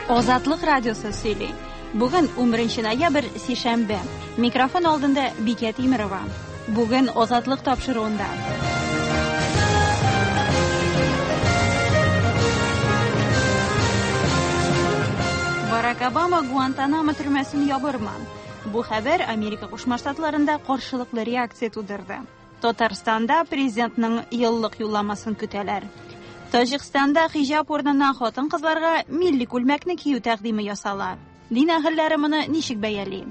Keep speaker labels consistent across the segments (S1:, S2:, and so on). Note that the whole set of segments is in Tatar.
S1: Азатлык радиосы сөйли. Бүген 11 ноябрь, сишәмбе. Микрофон алдында Бикә Тимерова. Бүген Азатлык тапшыруында. Барак Обама Гуантанамо төрмәсен ябырмы? Бу хәбәр Америка Кушма Штатларында каршылыклы реакция тудырды. Татарстанда президентның еллык юлламасын көтәләр. Таҗикстанда хиҗап урынына хатын-кызларга милли күлмәкне кию тәкъдиме ясала. Дин әһелләре моны ничек бәяли?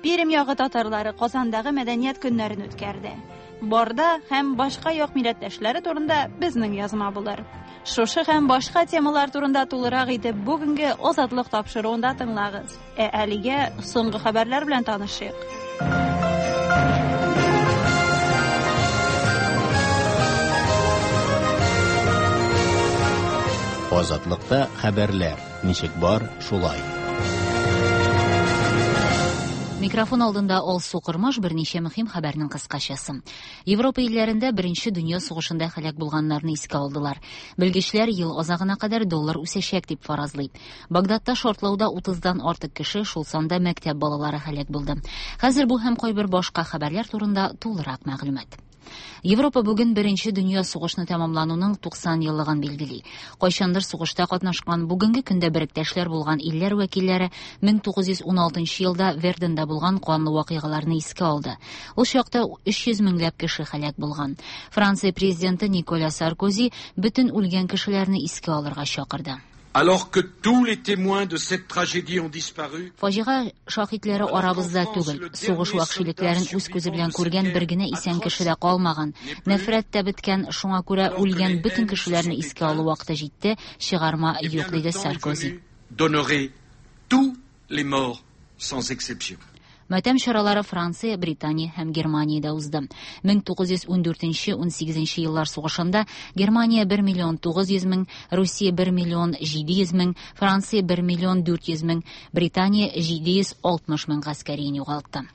S1: Пермь ягы татарлары Казандагы мәдәният көннәрен үткәрде. Барда һәм башка як милләттәшләре турында безнең язма булыр. Шушы һәм башка темалар турында тулырак итеп бүгенге Азатлык тапшыруында тыңлагыз. Ә әлегә соңгы хәбәрләр белән танышыйк.
S2: Азатлыкта хәбәрләр ничек бар, шулай.
S3: Микрофон алдында Алсу Кормаш, берничә мөһим хәбәрнең кыскачасы. Европа илләрендә Беренче дөнья сугышында һәлак булганнарны искә алдылар. Белгечләр ел азагына кадәр доллар үсәчәк дип фаразлый. Багдадта шартлауда 30-дан артык кеше, шул санда мәктәп балалары һәлак булды. Хәзер бу һәм кайбер башка хәбәрләр турында тулырак мәгълүмат. Европа бүген Беренче дөнья сугышны тәмамлануның 90 еллыгын билгели. Кайчандыр сугышта катнашкан, бүгенге көндә беректәшләр булган илләр вәкилләре 1916 елда Верденда булган канлы вакыйгаларны искә алды. Ул чакта 300 меңләп кеше һәлак булган. Франция президенты Николя Саркози бөтен үлгән кешеләрне искә алырга чакырды.
S4: Alors que tous les témoins de cette tragédie ont disparu,
S3: Фаҗига шаһитләре арабызда түгел. Сугыш вәхшилекләрен үз күзе белән күргән бер генә исән кеше дә калмаган. Нәфрәт тә беткән, шуңа күрә үлгән бөтен кешеләрне искә алу вакыты җитте, чыгарма юк, диде Саркози.
S4: D'honorer tous les morts sans exception.
S3: Матәм чаралары Франция, Британия һәм Германиядә узды. 1914-18 еллар сугышында Германия 1 миллион 900 мең, Русия 1 миллион 700 мең, Франция 1 миллион 400 мең, Британия 760 мең гаскәрин югалтты.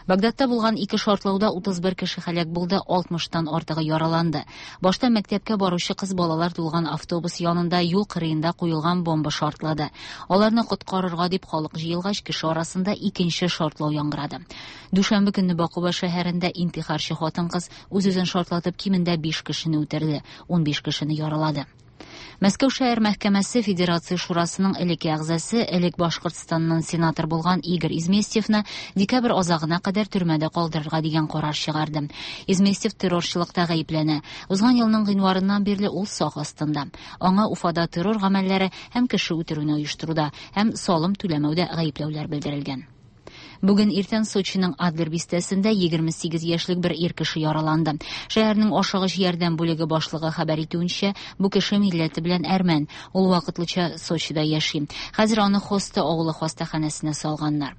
S3: Багдадта булган ике шартлауда 31 кеше һәлак булды, 60-тан артыгы яраланды. Башта мәктәпкә баручы кыз балалар тулган автобус янында юл кырыенда куелган бомба шартлады. Аларны коткарырга дип халык җыелгач, кеше арасында икенче шартлау яңгырады. Дүшәмбе көнне Бакуба шәһәрендә интихарчы хатын-кыз үз-үзен шартлатып кимендә 5 кешене үтерде, 15 кешене яралады. Мәскәү шәһәр мәхкәмәсе Федерация Шурасының элекке әгъзасы, элек Башкортстаннан сенатор булган Игорь Изместьевны декабрь азагына кадәр төрмәдә калдырырга дигән карар чыгарды. Изместьев террорчылыкта гаепләнә. Узган елның гыйнварыннан бирле ул сак астында. Аңа Уфада террор гамәлләре һәм кеше үтерүне оештыруда һәм салым түләмәүдә гаепләүләр белдерелгән. Бүген иртән Сочиның Адлер бистәсендә 28 яшьлек бер ир кеше яраланды. Шәһәрнең ашыгыч ярдәм бүлеге башлыгы хәбәр итүенчә, бу кеше милләте белән әрмән. Ул вакытлыча Сочида яши. Хәзер аны Хоста авылы хастаханәсенә салганнар.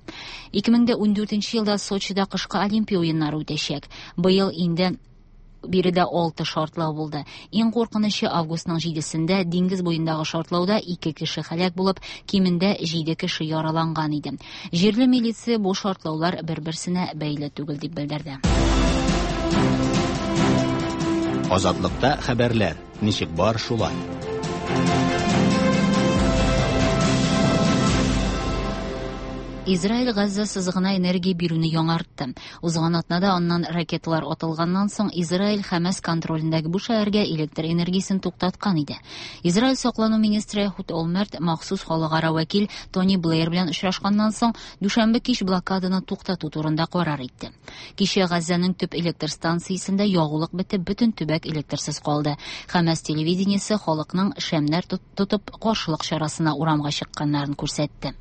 S3: 2014 елда Сочида кышкы Олимпия уеннары үтәчәк. Быел инде биредә 6 шартлау булды. Иң куркынычы августның 7-сендә диңгез буендагы шартлауда 2 кеше һәлак булып, кимендә 7 кеше яраланган иде. Җирле милиция бу шартлаулар бер-берсенә бәйле түгел дип белдерде.
S2: Азатлыкта хәбәрләр ничек бар, шулай.
S3: Израиль Газза сызыгына энергия бирүне яңартты. Узган атнада аннан ракеталар атылганнан соң Израиль Хәмәс контролендәге бу шәһәргә электр энергиясен туктаткан иде. Израиль саклану министры Эхуд Олмерт махсус халыкара вәкил Тони Блэйр белән очрашканнан соң дүшәмбе кич блокаданы туктату турында карар итте. Кичә Газзаның төп электр станциясендә ягулык бетеп, бөтен төбәк электрсыз калды. Хәмәс телевидениесе халыкның шәмнәр тотып каршылык чарасына урамга чыкканнарын күрсәтте.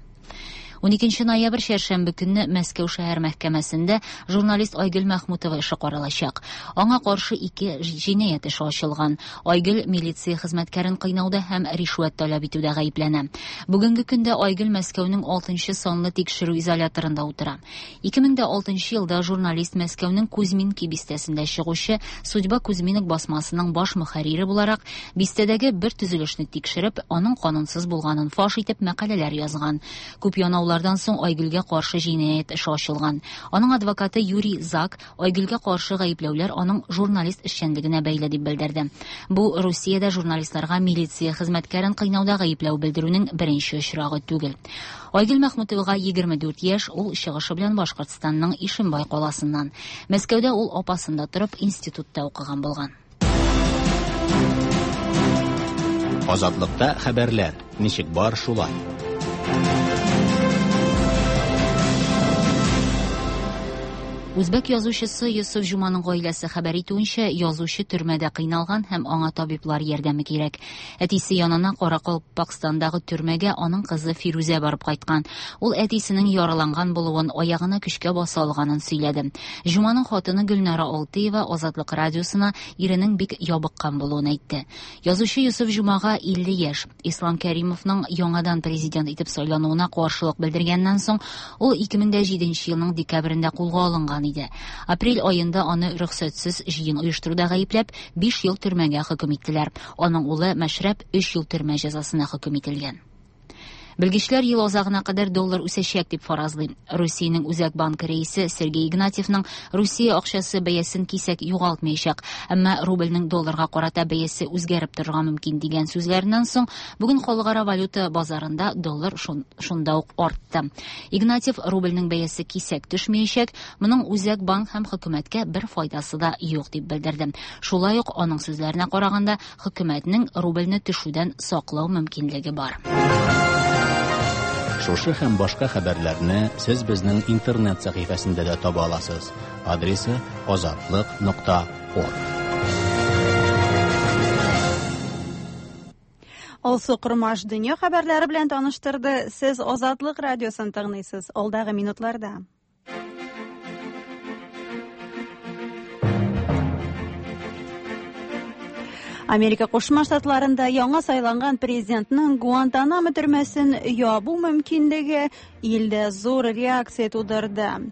S3: 12 ноябрь чәршәмбе көнне Мәскәү шәһәр мәхкәмәсендә журналист Айгөл Мәхмүтова эше каралачак. Аңа каршы 2 җинаять эше ачылган. Айгөл милиция хезмәткәрен кыйнауда һәм ришвәт таләп итүдә гаепләнә. Бүгенге көндә Айгөл Мәскәүнең 6 санлы тикшерү изоляторында утыра. 2006 елда журналист Мәскәүнең Кузьминки бистәсендә чыгучы Судьба Кузьминок басмасының баш мөхәррире буларак бистәдәге бер төзелешне тикшереп, аның канунсыз булганын фаш итеп мәкаләләр язган. Күп янаулар Кыйнаулардан соң Айгөлгә каршы җинаять эше ачылган. Аның адвокаты Юрий Зак Айгөлгә каршы гаепләүләр аның журналист эшчәнлегенә бәйле дип белдерде. Бу Русиядә журналистларга милиция хезмәткәрен кыйнауда гаепләү белдерүнең беренче очрагы түгел. Айгөл Мәхмүтовага 24 яшь, ул чыгышы белән Башкортстанның Ишембай каласыннан. Мәскәүдә ул апасында торып институтта укыган булган.
S2: Азатлыкта хәбәрләр ничек бар шулай.
S3: Үзбәк язучысы Йосыф Җуманың гаиләсе хәбәр итүенчә, язучы төрмәдә кыйналган һәм аңа табиблар ярдәме кирәк. Әтисе янына Каракалпакстандагы төрмәгә аның кызы Фирүзә барып кайткан. Ул әтисенең яраланган булуын, аягына көчкә баса алганын сөйләде. Җуманың хатыны Гөлнара Алтыева Азатлык радиосына иренең бик ябыккан булуын әйтте. Язучы Йосыф Җумага 50 яшь. Ислам Кәримовның яңадан президент итеп сайлануына каршылык белдергәннән соң, ул 2007 елның декабрендә кулга алынган иде. Апрель аенда аны рөхсәтсез җыен оештыруда гаепләп, 5 ел төрмәгә хөкем иттеләр. Аның улы Мәшрәп 3 ел төрмә җәзасына хөкем ителгән. Белгечләр ел азагына кадәр доллар үсәчәк дип фаразлый. Русиянең Үзәк банкы рәисе Сергей Игнатьевның Русия акчасы бәясен кисәк югалтмаячак, әмма рубльнең долларга карата бәясе үзгәреп торырга мөмкин дигән сүзләреннән соң бүген халыкара валюта базарында доллар шунда ук артты. Игнатьев рубльнең бәясе кисәк төшмәячәк, моның Үзәк банк һәм хөкүмәткә бер файдасы да юк дип белдерде. Шулай ук аның сүзләренә караганда, хөкүмәтнең рубльне төшүдән саклау мөмкинлеге бар.
S2: Шушы һәм башка хәбәрләрне сез безнең интернет сәхифәсендә дә таба аласыз. Адресы azatliq.org.
S1: Алсу Кормаш дөнья хәбәрләре белән таныштырды. Сез Азатлык радиосын тыңлыйсыз. Алдагы минутларда. Америка Кушма Штатларында яңа сайланган президентның Гуантанамо төрмәсен ябу мөмкинлеге илдә зур реакция тудырды.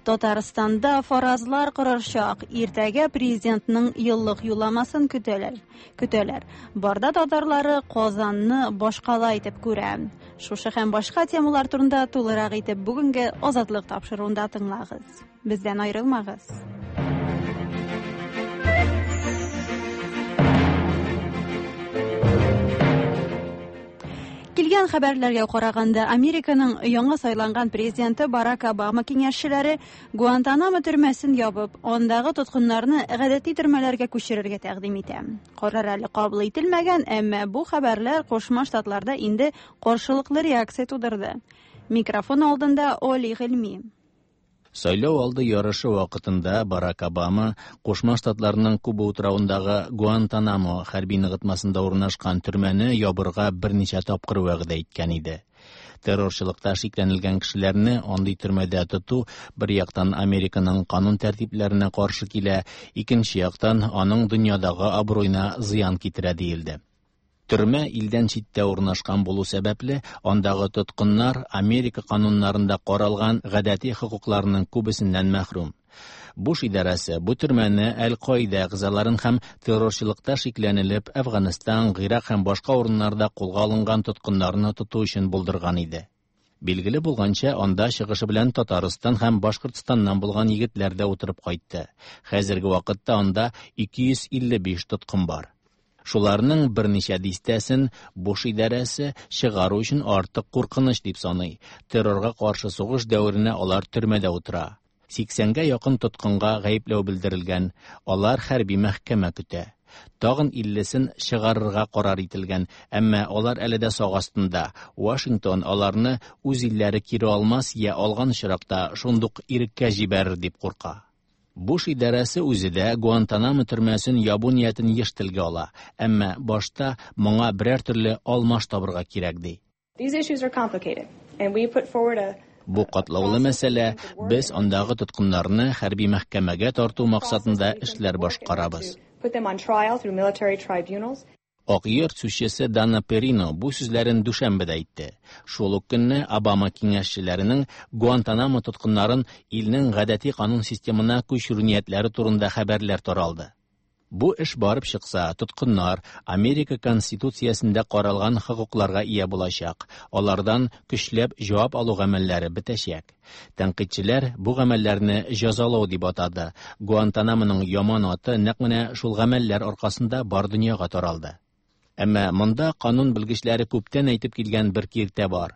S1: Татарстанда фаразлар корырчак. Иртәгә президентның еллык юлламасын көтәләр. Көтәләр. Барда татарлары Казанны башкала итеп күрә. Шушы һәм башка темалар турында тулырак итеп бүгенге Азатлык тапшыруында тыңлагыз. Бездән аерылмагыз. Килгән хәбәрләргә караганда, Американың яңа сайланган президенты Барак Обама киңәшчеләре Гуантанамо төрмәсен ябып, андагы тоткыннарны гадәти төрмәләргә күчерергә тәкъдим итә. Карар әле кабул ителмәгән, әмма бу хәбәрләр Кушма Штатларда инде каршылыклы реакция тудырды. Микрофон алдында Оли Гыйльми.
S2: Сайлау алды ярышы вакытында Барак Обама Кушма Штатларының Куба утравындагы Гуантанамо хәрби ныгытмасында урнашкан төрмәне ябырга берничә тапкыр вәгъдә иткән иде. Террорчылыкта шикләнелгән кешеләрне андый төрмәдә тоту бер яктан Американың канун тәртипләренә каршы килә, икенче яктан аның дөньядагы абруена зыян китерә диелде. Төрмә илдән читтә урнашкан булу сәбәпле, андагы тоткыннар Америка кануннарында каралган гадәти хокукларының күбесеннән мәхрүм. Буш идарәсе бу төрмәне Әл-Каида әгъзаларын һәм террорчылыкта шикләнелеп Әфганстан, Гыйрак һәм башка урыннарда кулга алынган тоткыннарны тоту өчен булдырган иде. Билгеле булганча, анда чыгышы белән Татарстан һәм Башкортстаннан булган егетләр дә утырып кайтты. Хәзерге вакытта анда 255 тоткын бар. Шуларның берничә дистәсен Буш идарәсе чыгару өчен артык куркыныч дип саный. Террорга каршы сугыш дәверенә алар төрмәдә утыра. 80-гә якын тоткынга гаепләү белдерелгән, алар хәрби мәхкәмә көтә. Тагын 50-сен чыгарырга карар ителгән, әмма алар әле дә сак астында. Вашингтон аларны үз илләре кире алмас я алган очракта шундук иреккә җибәрер дип курка. Буш идарәсе үзе дә Гуантанамо төрмәсен ябу ниятен еш телгә ала, әмма башта моңа берәр төрле алмаш табырга кирәк ди.
S5: These issues are complicated, and we put forward a
S2: Бу катлаулы мәсьәлә, без андагы тоткыннарны хәрби мәхкәмәгә тарту максатында эшләр башкарабыз.
S5: Put them on trial through military tribunals.
S2: Ак йорт сүзчесе Дана Перино бу сүзләрен дүшәмбедә әйтте. Шул ук көнне Обама киңәшчеләренең Гуантанамо тоткыннарын илнең гадәти канун системына күчерү ниятләре турында хәбәрләр таралды. Бу эш барып чыкса, тоткыннар Америка Конституциясендә каралган хокукларга ия булачак, алардан көчләп җавап алу гамәлләре бетәчәк. Тәнкыйтьчеләр бу гамәлләрне җәзалау дип атады. Гуантанамоның яман аты нәкъ менә шул гамәлләр аркасында бар дөньяга таралды. Әмма монда канун белгечләре күптән әйтеп килгән бер киртә бар.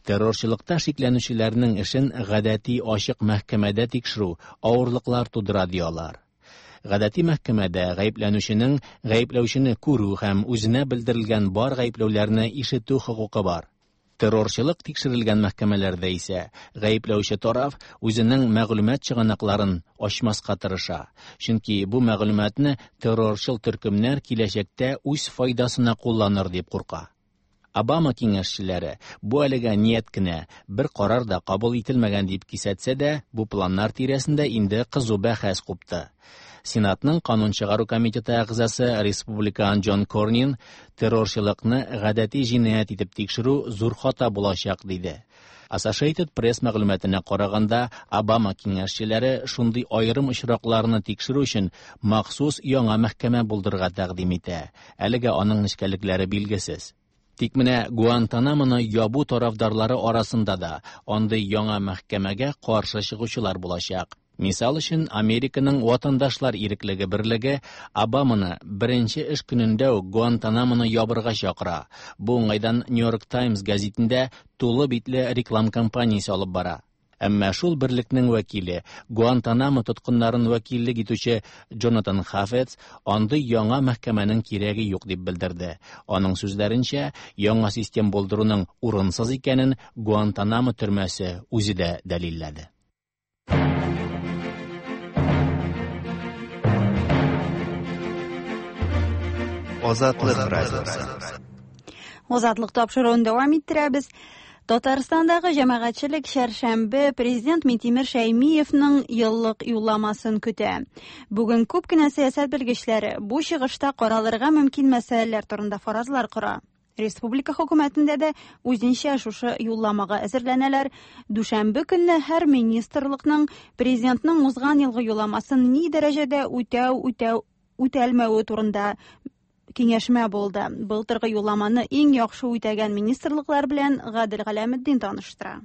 S2: Террорчылыкта шикләнүчеләрнең эшен гадәти ачык мәхкәмәдә тикшерү авырлыклар тудыра, ди алар. Гадәти мәхкәмәдә гаепләнүченең гаепләүчене күрү һәм үзенә белдерелгән бар гаепләүләрне ишетү хокукы бар. Террорчылык тикшерелгән мәхкәмәләрдә исә гаепләүче тараф үзенең мәгълүмат чыганакларын ачмаска тырыша, чөнки бу мәгълүматны террорчыл төркемнәр киләчәктә үз файдасына кулланыр дип курка. Обама киңәшчеләре бу әлегә ният кенә, бер карар да кабул ителмәгән дип кисәтсә дә, бу планнар тирәсендә инде кызу бәхәс купты. Сенатның канун чыгару комитеты әгъзасы республикан Джон Корнин террорчылыкны гадәти җинаять итеп тикшерү зур хата булачак диде. Associated Press мәгълүматына караганда, Обама киңәшчеләре шундый аерым очракларны тикшерү өчен махсус яңа мәхкәмә булдырырга тәкъдим итә. Әлегә аның нечкәлекләре билгесез. Тик менә Гуантанамоны ябу тарафдарлары арасында да андый яңа мәхкәмәгә каршы чыгучылар булачак. Мисал өчен, Американың Ватандашлар иреклеге берлеге Обаманы беренче эш көнендә үк Гуантанамоны ябырга чакыра. Бу уңайдан New York Times гәзитендә тулы битле реклам кампаниясе алып бара. Әмма шул берлекнең вәкиле, Гуантанамо тоткыннарын вәкиллек итүче Джонатан Хафец андый яңа мәхкәмәнең кирәге юк дип белдерде. Аның сүзләренчә, яңа систем булдыруның урынсыз икәнен Гуантанамо төрмәсе үзе дә дәлилләде.
S6: Азатлык радиосы.
S1: Азатлык тапшыруын дәвам иттерәбез. Татарстандагы җәмәгатьчелек чәршәмбе президент Минтимер Шәймиевның еллык юлламасын көтә. Бүген күп кенә сәясәт белгечләре бу чыгышта каралырга мөмкин мәсьәләләр турында фаразлар кора. Республика хөкүмәтендә дә үзенчә шушы юлламага әзерләнәләр. Дүшәмбе көнне һәр министрлыкның президентның узган елгы юлламасын ни дәрәҗәдә үтәү, үтәү, үтәлмәве турында киңәшмә булды. Былтыргы юлламаны иң яхшы үтәгән министрлыклар белән Гадел Галәметдин таныштыра.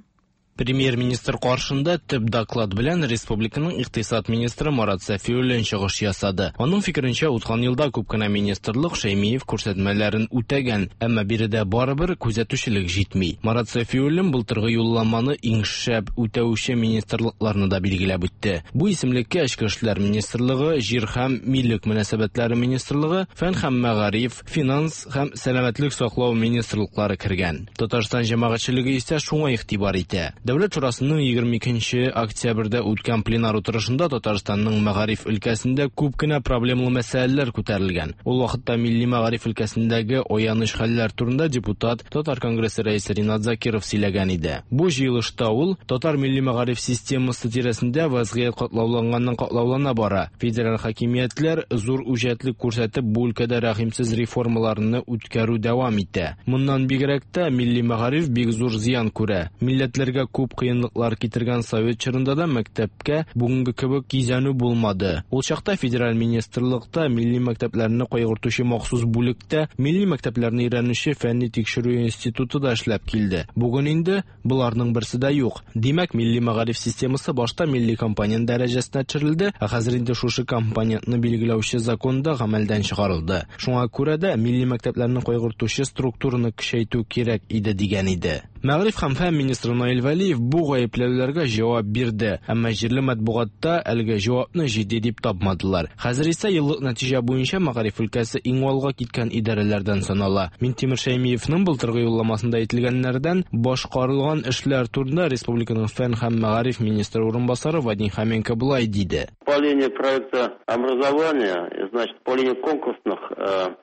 S7: Премьер-министр каршында төп доклад белән республиканың икътисад министры Марат Сафиуллин чыгыш ясады. Аның фикеренчә, узган елда күп кенә министрлык Шәймиев күрсәтмәләрен үтәгән, әмма биредә барыбер күзәтүчелек җитми. Марат Сафиуллин былтыргы юлламаны иң шәп үтәүче министрлыкларны да билгеләп үтте. Бу исемлеккә Эчке эшләр министрлыгы, Җир һәм милек мөнәсәбәтләре министрлыгы, Фән һәм мәгариф, Финанс һәм сәламәтлек саклау министрлыклары кергән. Татарстан җәмәгатьчелеге исә шуңа игътибар итә. Дәүләт шурасының 22 октябрьдә үткән пленар утырышында Татарстанның мәгариф өлкәсендә күп кенә проблемалы мәсьәләләр күтәрелгән. Ул вакытта милли мәгариф өлкәсендәге аяныч хәлләр турында депутат, Татар конгрессы рәисе Ринат Закиров сөйләгән иде. Бу җыелышта ул татар милли мәгариф системасы тирәсендә вазгыять катлауланганнан катлаулана бара. Федераль хакимиятләр зур үҗәтлек күрсәтеп бу өлкәдә рәхимсез реформаларны үткәрү дәвам итә. Моннан бигрәк тә милли мәгариф бик зур зыян күрә. Милләтләргә күп кыенлыклар китергән совет чорында да мәктәпкә бүгенге кебек кизәнү булмады. Ул чакта федераль министрлыкта милли мәктәпләрне кайгыртучы махсус бүлектә милли мәктәпләрне өйрәнүче фәнни тикшерү институты да эшләп килде. Бүген инде боларның берсе дә юк. Димәк, милли мәгариф системасы башта милли компонент дәрәҗәсенә төшерелде, ә хәзер инде шушы компонентны билгеләүче закон да гамәлдән чыгарылды. Шуңа күрә дә милли мәктәпләрне кайгыртучы структураны көчәйтү кирәк иде дигән иде. Мәгариф һәм фән министры Наил Вәлиев бу гаепләүләргә җавап бирде, әмма җирле матбугатта әлеге җавапны җитди дип тапмадылар. Хәзер исә еллык нәтиҗә буенча мәгариф өлкәсе иң алга киткән идарәләрдән санала. Минтимер Шәймиевның былтыргы юлламасында әйтелгәннәрдән башкарылган эшләр турында республиканың фән һәм мәгариф министры урынбасары Вадим Хоменко болай диде.
S8: По линии проекта образования, значит, по линии конкурсных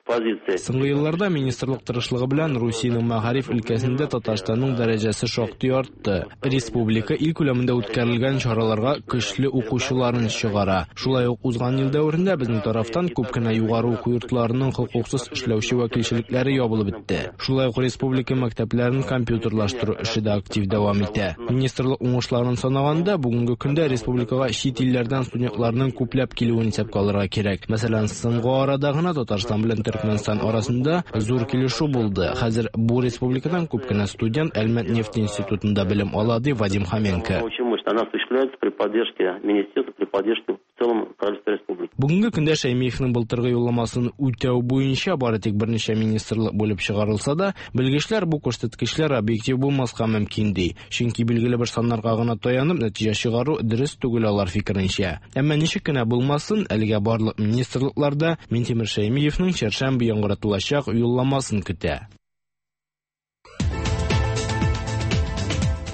S8: позиций.
S7: Соңгы елларда министрлык тырышлыгы белән Русиянең мәгариф өлкәсендә Татарстанның аның дәрәҗәсе шактый артты. Республика ил күләмендә үткәрелгән чараларга көчле укучыларын чыгара. Шулай ук узган ел дәверендә безнең тарафтан күп кенә югары уку йортларының хокуксыз эшләүче вәкилчелекләре ябылып бетте. Шулай ук республика мәктәпләрен компьютерлаштыру эше дә актив дәвам итә. Министрлык уңышларын санаганда, бүгенге көндә республикага чит илләрдән студентларның күпләп килүен исәпкә алырга кирәк. Мәсәлән, соңгы арада гына Татарстан белән Төркмәнстан арасында зур килешү булды. Хәзер бу республикадан күп кенә студент Әлмәт нефть институтында белем ала, ди Вадим Хоменко.
S8: Она осуществляется при поддержке министерства, при поддержке в целом правительства республики.
S7: Бүгенге көндә Шәймиевнең былтыргы юлламасын үтәү буенча бары тик берничә министрлык бүлеп чыгарылса да, белгечләр бу күрсәткечләр объектив булмаска мөмкин ди. Чөнки билгеле бер саннарга гына таянып нәтиҗә чыгару дөрес түгел алар фикеренчә. Әмма ничек кенә булмасын, әлегә барлык министрлыкларда Минтимер Шәймиевнең чәршәмбе яңгыратылачак юлламасын көтә.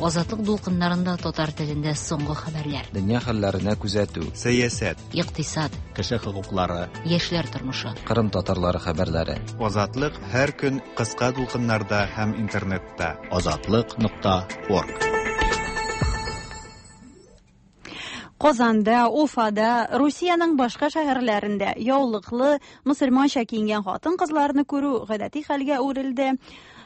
S3: Азатлык дулкыннарында татар телендә соңгы хәбәрләр.
S6: Дөнья хәлләренә күзәтү. Сәясәт.
S3: Икътисад.
S2: Кеше хокуклары.
S3: Яшьләр тормышы.
S6: Кырым татарлары хәбәрләре. Азатлык һәр көн кыска дулкыннарда һәм интернетта.
S2: Азатлык.орг.
S1: Казанда, Уфада, Русиянең башка шәһәрләрендә яулыклы, мөселманча киенгән хатын-кызларны күрү гадәти хәлгә әверелде.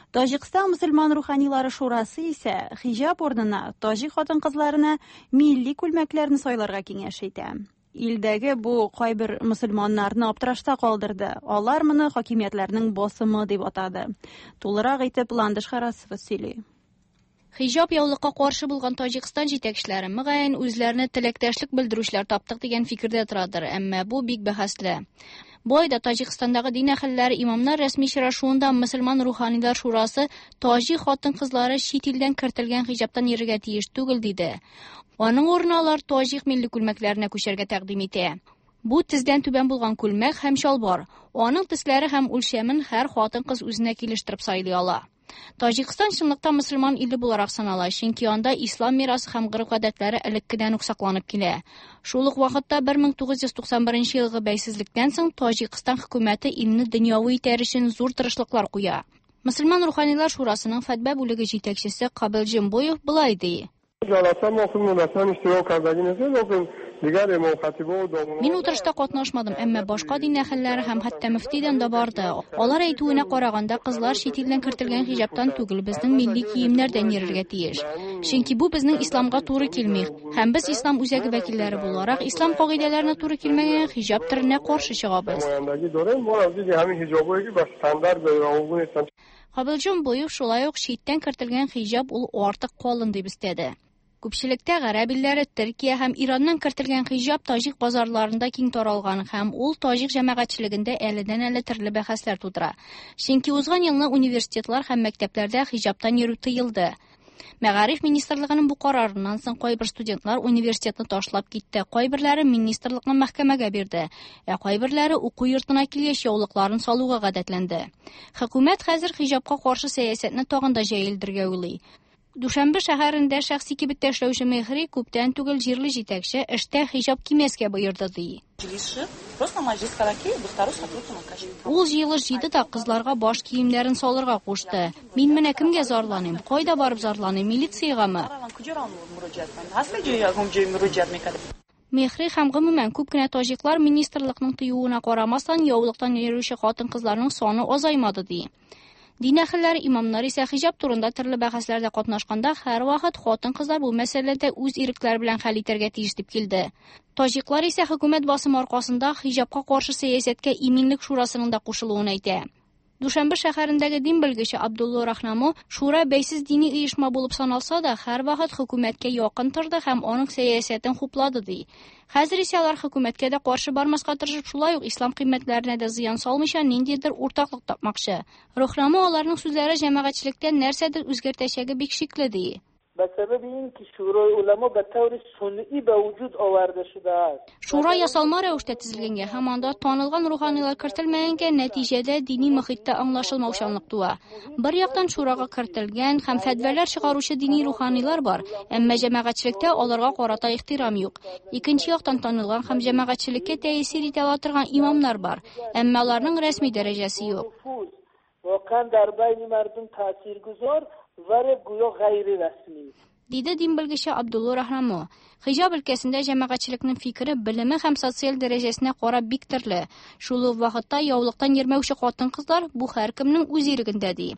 S1: Таҗикстан мөселман руханилары шурасы исә хиҗап урынына таҗик хатын-кызларына милли күлмәкләрне сайларга киңәш итә. Илдәге бу кайбер мөселманнарны аптырашта калдырды. Алар моны хакимиятләрнең басымы дип атады. Тулырак итеп Ландыш Харасова сөйли.
S9: Хиҗап яулыкка каршы булган Таҗикстан җитәкчеләре мөгаен үзләренә теләктәшлек белдерүчеләр таптык дигән фикердә торадыр, әмма бу бик бәхәсле. Бу айда Таҗикстандагы дин әһелләре имамнар рәсми очрашуында мөселман руханилар шурасы таҗик хатын-кызлары чит илдән кертелгән хиҗаптан йөрергә тиеш түгел диде. Аның урынына алар таҗик милли күлмәкләренә күчәргә тәкъдим итә. Бу тездән түбән булган күлмәк һәм чалбар. Аның төсләре һәм үлчәмен һәр хатын-кыз үзенә килештереп сайлый ала. Таҗикстан чынлыкта мөселман иле буларак санала, чөнки анда ислам мирасы һәм гореф-гадәтләре элеккедән үк сакланып килә. Шул ук вакытта 1991 елгы бәйсезлектән соң Таҗикстан хөкүмәте илне дөньяви итәр өчен зур тырышлыклар куя. Мөселман руханилар шурасының фәтва бүлеге җитәкчесе Кабил Җимбоев болай ди. Мин утырышта катнашмадым, әмма башка дин әһелләре һәм хәтта мөфтидән дә барды. Алар әйтүенә караганда, кызлар чит илдән кертелгән хиҗаптан түгел, безнең милли киемнәрдән йөрергә тиеш. Чөнки бу безнең исламга туры килми. Һәм без ислам үзәге вәкилләре буларак, ислам кагыйдәләренә туры килмәгән хиҗап төренә каршы чыгабыз. Кабилҗан Боев шулай ук читтән кертелгән хиҗап ул артык калын дип өстәде. Күпчелектә гарәп илләре, Төркия һәм Ираннан кертелгән хиҗап таҗик базарларында киң таралган һәм ул таҗик җәмәгатьчелегендә әледән-әле төрле бәхәсләр тудыра. Чөнки узган елны университетлар һәм мәктәпләрдә хиҗаптан йөрү тыелды. Мәгариф министрлыгының бу карарыннан соң кайбер студентлар университетны ташлап китте, кайберләре министрлыкны мәхкәмәгә бирде, ә кайберләре уку йортына килгәч яулыкларын салуга гадәтләнде. Хөкүмәт хәзер хиҗапка каршы сәясәтне тагын да җәелдерергә уйлый. Дүшәмбе шәһәрендә шәхси кибеттә эшләүче Мехри күптән түгел җирле җитәкче эштә хиҗап кимәскә боерды ди. Ул җыелыш җыйды да кызларга баш киемнәрен салырга кушты. Мин менә кемгә зарланыйм? Кайда барып зарланыйм? Милициягәме? Мехри һәм гомумән күп кенә таҗиклар министрлыкның тыюына карамастан яулыктан йөрүче хатын-кызларның саны азаймады ди. Дин әһелләре имамнар исә хиҗап турында төрле бәхәсләрдә катнашканда һәрвакыт хатын-кызлар бу мәсьәләдә үз ирекләре белән хәл итәргә тиеш дип килде. Таҗиклар исә хөкүмәт басымы аркасында хиҗапка каршы сәясәткә иминлек шурасының да кушылуын әйтә. Дүшәмбе шәһәрендәге дин белгече Абдулла Рахнамо шура бәйсез дини оешма булып саналса да, һәрвакыт хөкүмәткә якын торды һәм аның сәясәтен хуплады ди. Хәзер исә алар хөкүмәткә дә каршы бармаска тырышып, шулай ук ислам кыйммәтләренә дә зыян салмыйча ниндидер уртаклык тапмакчы. Рахнамо аларның сүзләре җәмәгатьчелектә нәрсәдер үзгәртәчәге бик шикле ди. Шура ясалма рәвештә төзелгәнгә һәм анда танылган руханилар кертелмәгәнгә нәтиҗәдә дини мохиттә аңлашылмаучанлык туа. Бер яктан шурага кертелгән һәм фәтвәләр чыгаручы дини руханилар бар, әмма җәмәгатьчелектә аларга карата ихтирам юк. Икенче яктан танылган һәм җәмәгатьчелеккә тәэсир итә ала торган имамнар бар, әмма аларның рәсми дәрәҗәсе юк.
S10: باور گویا غیر رسمی.
S9: Диде дин белгече Абдулло Рахрамо. Хиҗаб өлкәсендә җәмәгатьчелекнең фикере белеме һәм социаль дәрәҗәсенә карап бик төрле. Шул ук вакытта яулыктан йөрмәүче хатын-кызлар бу һәркемнең үз ирегендә ди.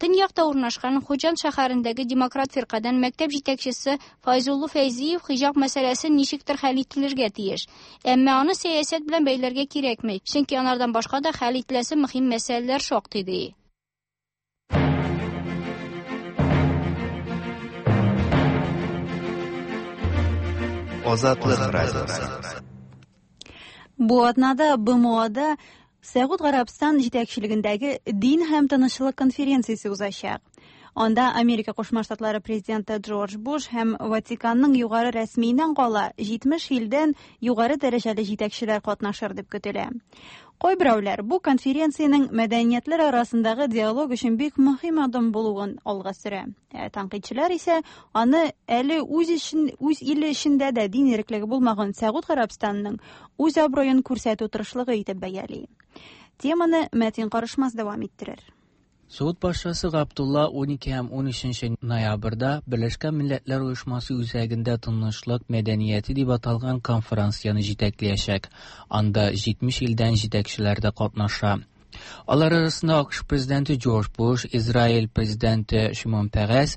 S9: Төньякта урнашкан Хуҗан шәһәрендәге Демократ фиркадән мәктәп җитәкчесе Файзулло Фәйзиев хиҗаб мәсьәләсе ничектер хәл ителергә тиеш. Әмма аны сәясәт белән бәйләргә кирәкми, чөнки анардан башка да хәл ителәсе мөһим мәсьәләләр шактый ди.
S6: Азатлык радиосы.
S1: Бу атнада БМОда Сәгуд Гарәбстан җитәкчелегендәге дин һәм тынычлык конференциясе узачак. Анда Америка Кушма Штатлары президенты Джордж Буш һәм Ватиканның югары рәсмиеннән кала 70 илдән югары дәрәҗәле җитәкчеләр катнашыр дип көтелә. Кайберәүләр бу конференциянең мәдәниятләр арасындагы диалог өчен бик мөһим адым булуын алга сөрә. Ә тәнкыйтьчеләр исә аны әле үз өчен үз иле эчендә дә дин иреклеге булмаган Сәгуд Гарәбстанның үз абруен күрсәтү тырышлыгы итеп бәяли. Теманы Мәтин Карышмас дәвам иттерер.
S11: Suud Paşası Abdullah 12 һәм 13 ноябрьдә Берләшкән Милләтләр Оешмасы үзәгендә Тынычлык мәдәнияте дип аталган конференцияне җитәкләячәк. Анда 70 илдән җитәкчеләр дә катнаша. Алар арасында АКШ президенты Джордж Буш, Израиль президенты Шимон Перес,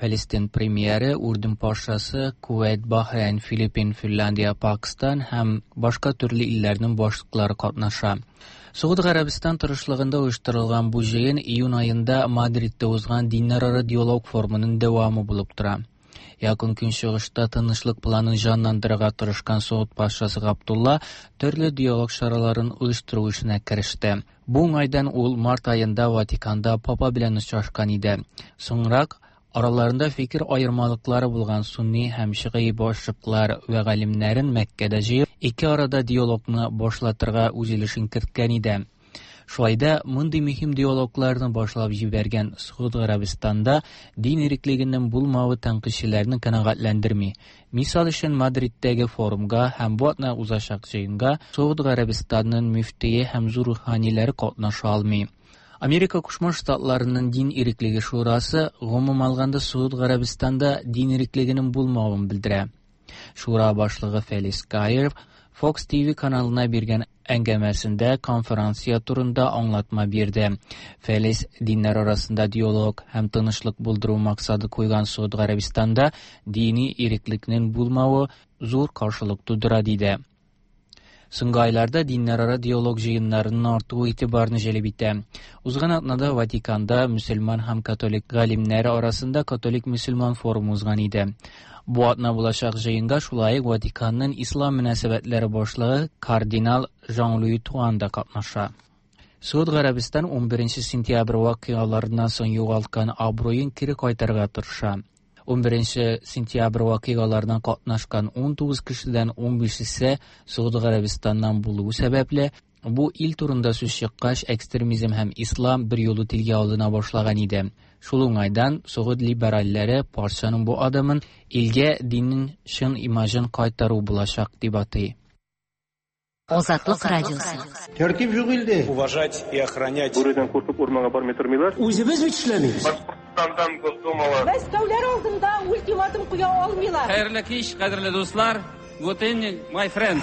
S11: Фәлестин премьеры, Үрдүн патшасы, Кувейт, Бахрейн, Филиппин, Финляндия, Пакистан һәм башка төрле илләрнең башлыклары катнаша. Согуд Гарәбстан тырышлыгында оештырылган бу җыен июнь аенда Мадридта узган диннәрара диалог форумының дәвамы булып тора. Якын Көнчыгышта тынычлык планын җанландырырга тырышкан Согуд патшасы Габдулла төрле диалог чараларын оештыру эшенә кереште. Бу уңайдан ул март аенда Ватиканда папа белән очрашкан иде. Соңрак араларында фикер аермалыклары булган сунни һәм шигый башлыклар вә галимнәрен Мәккәдә җыеп, ике арада диалогны башлатырга үз өлешен керткән иде. Шулай да мондый мөһим диалогларны башлап җибәргән Согуд Гарәбстанда дин иреклегенең булмавы тәнкыйтьчеләрне канәгатьләндерми. Мисал өчен Мадридтәге форумга һәм бу атна узачак җыенга Согуд Гарәбстанның мөфтие һәм зур руханиләре катнаша алмый. Америка Кушма Штатларының дин иреклеге шурасы гомум алганда Согуд Гарәбстанда дин иреклегенең булмавын белдерә. Шура башлыгы Фелис Гайер Fox TV каналына биргән әңгәмәсендә конференция турында аңлатма бирде. Фелис диннәр арасында диалог һәм тынычлык булдыру максаты куйган Согуд Гарәбстанда дини иреклекнең булмавы зур каршылык тудыра диде. Соңгы айларда диннәрара диалог җыеннарының артуы игътибарны җәлеп итә. Узган атнада Ватиканда мөселман һәм католик галимнәре арасында католик-мөселман форумы узган иде. Бу атна булачак җыенга шулай ук Ватиканның ислам мөнәсәбәтләре башлыгы кардинал Жан-Луи Туан да катнаша. Согуд Гарәбстан 11 сентябрь вакыйгаларыннан соң югалткан абруен кире кайтарырга тырыша. 11 сентябрь вакыйгаларына катнашкан 19 кешедән 15-се Согуд Гарәбстаннан булуы сәбәпле, бу ил турында сүз чыккач, экстремизм һәм ислам бер юлы телгә алына башлаган иде. Шул уңайдан Согуд либеральләре патшаның бу адымын илгә диннең чын имажын кайтару булачак дип атый.
S3: Азатлык радиосы.
S12: Тәртип юк илдә.
S4: Уважать и охранять.
S8: Бүредән куркып урманга бармый тормыйлар.
S12: Үзебез бит эшләмибез.
S8: Башкортстандан Госдумала.
S13: Мәскәүләр алдында ультиматум куя алмыйлар.
S4: Хәерле кич, кадерле дуслар. Good evening, my friends.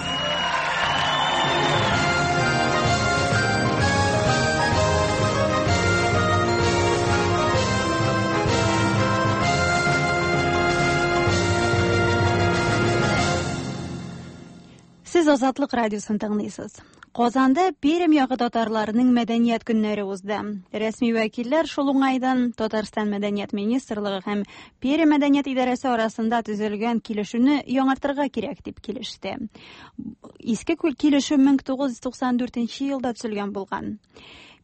S1: Сез Азатлык радиосын тыңлыйсыз. Казанда Пермь ягы татарларының мәдәният көннәре узды. Рәсми вәкилләр шул уңайдан Татарстан мәдәният министрлыгы һәм Пермь мәдәният идарәсе арасында төзелгән килешүне яңартырга кирәк дип килеште. Иске килешү 1994 елда төзелгән булган.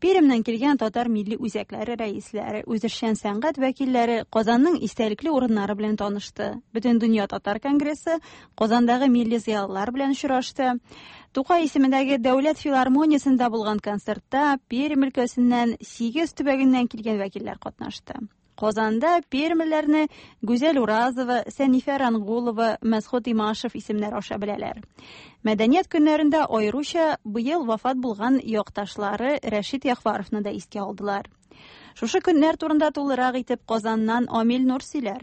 S1: Пермьнән килгән татар милли үзәкләре рәисләре, үзешчән сәнгать вәкилләре Казанның истәлекле урыннары белән танышты. Бөтендөнья татар конгрессы Казандагы милли зыялылар белән очрашты. Тукай исемендәге Дәүләт филармониясендә булган концертта Пермь өлкәсеннән 8 төбәгеннән килгән вәкилләр катнашты. Казанда пермьләрне Гүзәл Уразова, Сәнифә Рангулова, Мәсхүт Имашев исемнәре аша беләләр. Мәдәният көннәрендә аеруча быел вафат булган якташлары Рәшит Яхваровны да искә алдылар. Шушы көннәр турында тулырак итеп Казаннан Амил Нур сөйләр.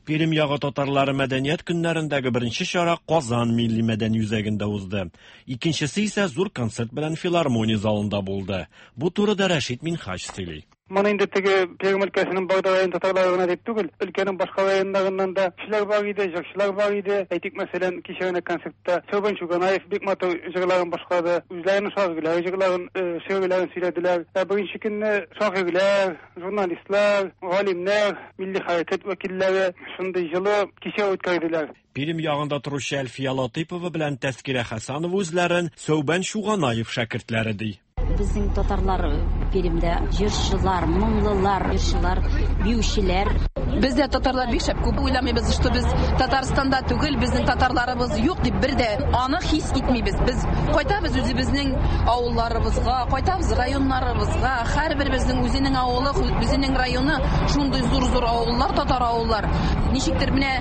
S14: Пермь ягы татарлары мәдәният көннәрендәге беренче чара Казан милли мәдәни үзәгендә узды. Икенчесе исә зур концерт белән филармония залында булды. Бу турыда Рәшит Минһаҗ сөйли.
S15: Моны инде теге Пермь өлкәсенең Барда район татарлары гына дип түгел, өлкәнең башка районнарыннан да кешеләр бар иде, җырчылар бар иде. Әйтик, мәсәлән, кичә генә концертта Сәүбән Чуганаев бик матур җырларын башкарды. Үзләренең шагыйрьләре җырларын, шигырьләрен сөйләделәр. Ә беренче көнне шагыйрьләр, журналистлар, галимнәр, милли хәрәкәт вәкилләре шундый җылы кичә үткәрделәр.
S14: Пермь ягында торучы Әлфия Латыйпова белән Тәскирә Хәсәнова үзләрен Сәүбән Чуганаев шәкертләре ди.
S16: Безнең татарлар Пермьдә җырчылар, моңлылар, җырчылар, биючеләр.
S17: Бездә татарлар бик шәп күп уйламыйбыз, что без Татарстанда түгел, безнең татарларыбыз юк дип бер дә аны хис итмибез. Без кайтабыз үзебезнең авылларыбызга, кайтабыз районнарыбызга. Һәрберебезнең үзенең авылы, үзенең районы, шундый зур-зур авыллар, татар авыллар. Ничектер менә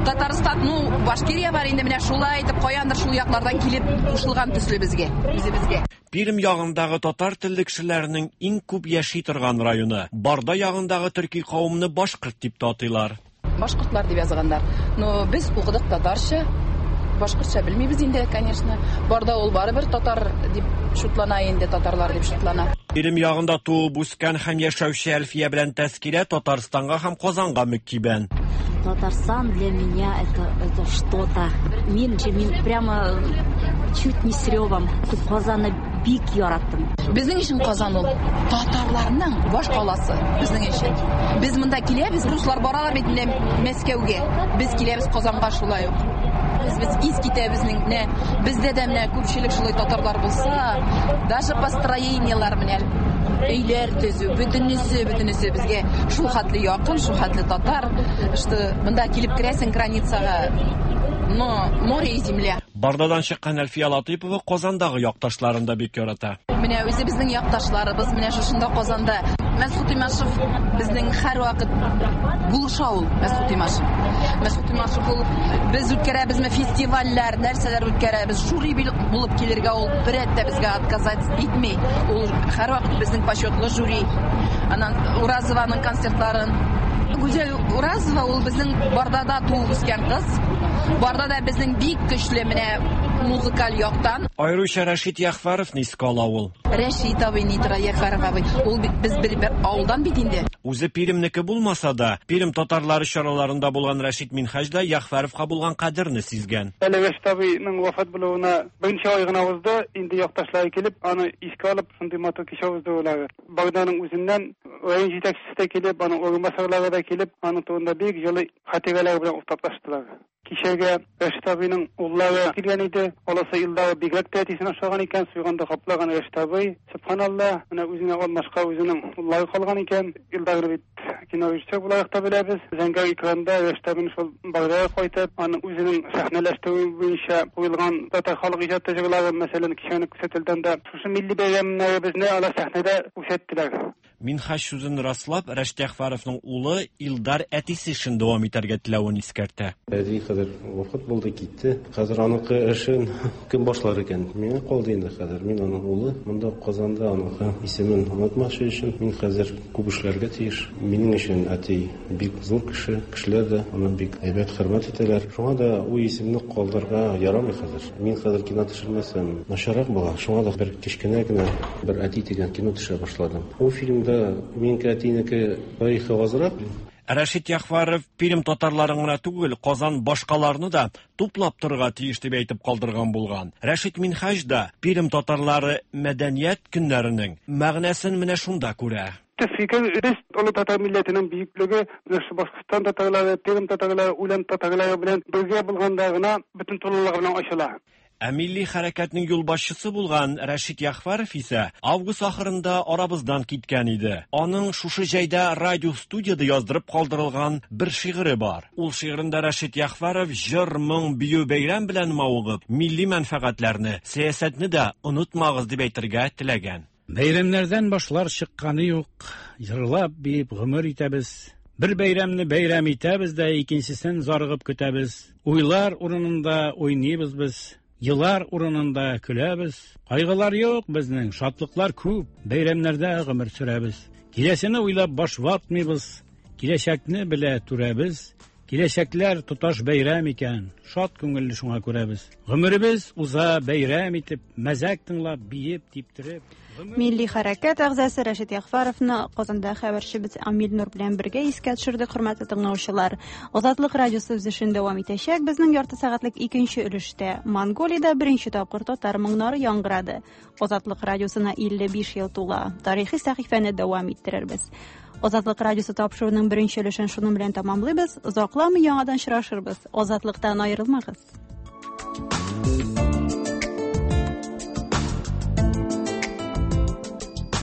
S17: Татарстан, ну, Башкирия бар инде, менә шулай итеп каяндыр шул яклардан килеп кушылган төсле безгә, үзебезгә.
S14: Пермь ягындагы татар телле кешеләрнең иң күп яши торган районы. Барда ягындагы төрки кавымны башкорт дип тә атыйлар.
S17: Башкортлар дип язганнар. Но без укыдык татарча, башкортча белмибез инде, конечно. Барда ул барыбер татар дип шутлана инде, татарлар дип шутлана.
S14: Пермь ягында туып үскән һәм яшәүче Әлфия белән Тәскирә Татарстанга һәм Казанга мөкиббән.
S16: Татарстан для меня это что-то. Мин, мин прямо чуть не с ревом. Казанны бик яраттым.
S17: Безнең өчен Казан ул татарларның баш каласы безнең өчен. Без монда киләбез, руслар баралар бит менә Мәскәүгә. Без киләбез Казанга шулай ук. Без ис китә безнең менә бездә дә менә күпчелек шулай татарлар булса, даже построениелар менә өйләр төзү, бөтенесе, бөтенесе безгә шул хәтле якын, шул хәтле татар, что монда килеп керәсең границага, но море и земля.
S14: Бардадан чыккан Әлфия Латыйпова Казандагы якташларын да бик ярата.
S17: Менә үзебезнең якташларыбыз менә шушында Казанда. Мәсгут Имашев безнең һәрвакыт булыша ул, Мәсгут Имашев. Мәсгут Имашев ул без үткәрәбезме фестивальләр, нәрсәләр үткәрәбез, жюри булып килергә ул бер рәт тә безгә отказать итми. Ул һәрвакыт безнең почетлы жюри. Аннан Уразованың концертларын. Гүзәл Уразова ул безнең Бардада туып үскән кыз. Бардада безнең бик көчле менә музыкаль яктан.
S14: Аеруча Рәшит Яхфаровны искә ала ул.
S17: Рәшит абый ни тора, Яхфаров абый. Ул бит без бер авылдан бит инде.
S14: Үзе Пермьнеке булмаса да, Пермь татарлары чараларында булган Рәшит Минһаҗ да Яхфаровка булган кадерне сизгән.
S15: Әле Рәшит абыйның вафат булуына берничә ай гына узды, инде якташлары килеп, аны искә алып, шундый матур кичә уздырулары. Барданың үзеннән район җитәкчесе дә килеп, аның урынбасарлары да килеп, аның турында бик җылы хатирәләр белән уртаклаштылар. Кичәгә Рәшит абыйның уллары килгән иде. Аласы Илдар бигрәк тә әтисен ошаган икән, суйганда каплаган Рәшит абый. Субханалла, менә үзенә алмашка үзенең уллары калган икән. Илдарны бит кино режиссер буларак та беләбез. Зәңгәр экранда Рәшит абыйның шул Бардага кайтып, аның үзенең сәхнәләштерү буенча куелган татар халык иҗаты җырлары, мәсәлән, кичәне күрсәтелгәндә дә шушы милли бәйрәмнәребезне алар сәхнәдә күрсәттеләр.
S14: Минһаҗ сүзен раслап, Рәшит Яхфаровның улы Илдар әтисе эшен дәвам итәргә теләвен искәртә.
S12: Әти хәзер вафат булды, китте. Хәзер аныкы эшен кем башлар икән? Миңа калды инде хәзер. Мин аның улы. Монда Казанда аныкы исемен онытмас өчен мин хәзер күп эшләргә тиеш. Минем өчен әти бик зур кеше. Кешеләр дә аны бик әйбәт хөрмәт итәләр. Шуңа да ул исемне калдырырга ярамый хәзер. Мин хәзер кино төшермәсәм, начаррак була. Шуңа да бер кечкенә генә бер әти дигән кино төшерә башладым. Ул фильмда минеке әтинеке тарихы азрак.
S14: Рәшит Яхфаров Пермь татарларын гына түгел, Казан башкаларны да туплап торырга тиеш дип әйтеп калдырган булган. Рәшит Минһаҗ да Пермь татарлары мәдәният көннәренең мәгънәсен менә шунда күрә.
S15: Төп фикер, без олы татар милләтенең бөеклеге, менә шу Башкортстан татарлары, Пермь татарлары, Үлән татарлары белән бергә булганда гына бөтен тулылыгы белән ачыла.
S14: Ә милли хәрәкәтнең юлбашчысы булган Рәшит Яхфаров исә август ахырында арабыздан киткән иде. Аның шушы җәйдә радио студияда яздырып калдырылган бер шигыре бар. Ул шигырендә Рәшит Яхфаров җыр, моң, бию, бәйрәм белән мавыгып, милли мәнфәгатьләрне, сәясәтне дә онытмагыз дип әйтергә теләгән.
S18: Бәйрәмнәрдән башлар чыкканы юк, җырлап, биеп гомер итәбез. Бер бәйрәмне бәйрәм итәбез дә, икенчесен зарыгып көтәбез. Уйлар урынында уйныйбыз без. Елар урынында көләбез. Кайгылар юк безнең, шатлыклар күп. Бәйрәмнәрдә гомер сөрәбез. Киләсене уйлап баш ватмыйбыз. Киләчәкне белә түрәбез. Киләчәкләр тоташ бәйрәм икән, шат күңелле шуңа күрәбез. Гомеребез уза бәйрәм итеп, мәзәк тыңлап, биеп, типтереп.
S1: Милли хәрәкәт әгъзасы Рәшит Ягъфәровны Казанда хәбәрчебез Амил Нур белән бергә искә төшерде, хөрмәтле тыңлаучылар. Азатлык радиосы үз эшен дәвам итәчәк. Безнең ярты сәгатьлек икенче өлештә Монголиядә беренче тапкыр татар моңнары яңгырады. Азатлык радиосына 55 ел тула. Тарихи сәхифәне дәвам иттерербез. Азатлык радиосы тапшыруының беренче өлешен шуның белән тәмамлыйбыз. Озакламый яңадан очрашырбыз. Азатлыктан аерылмагыз.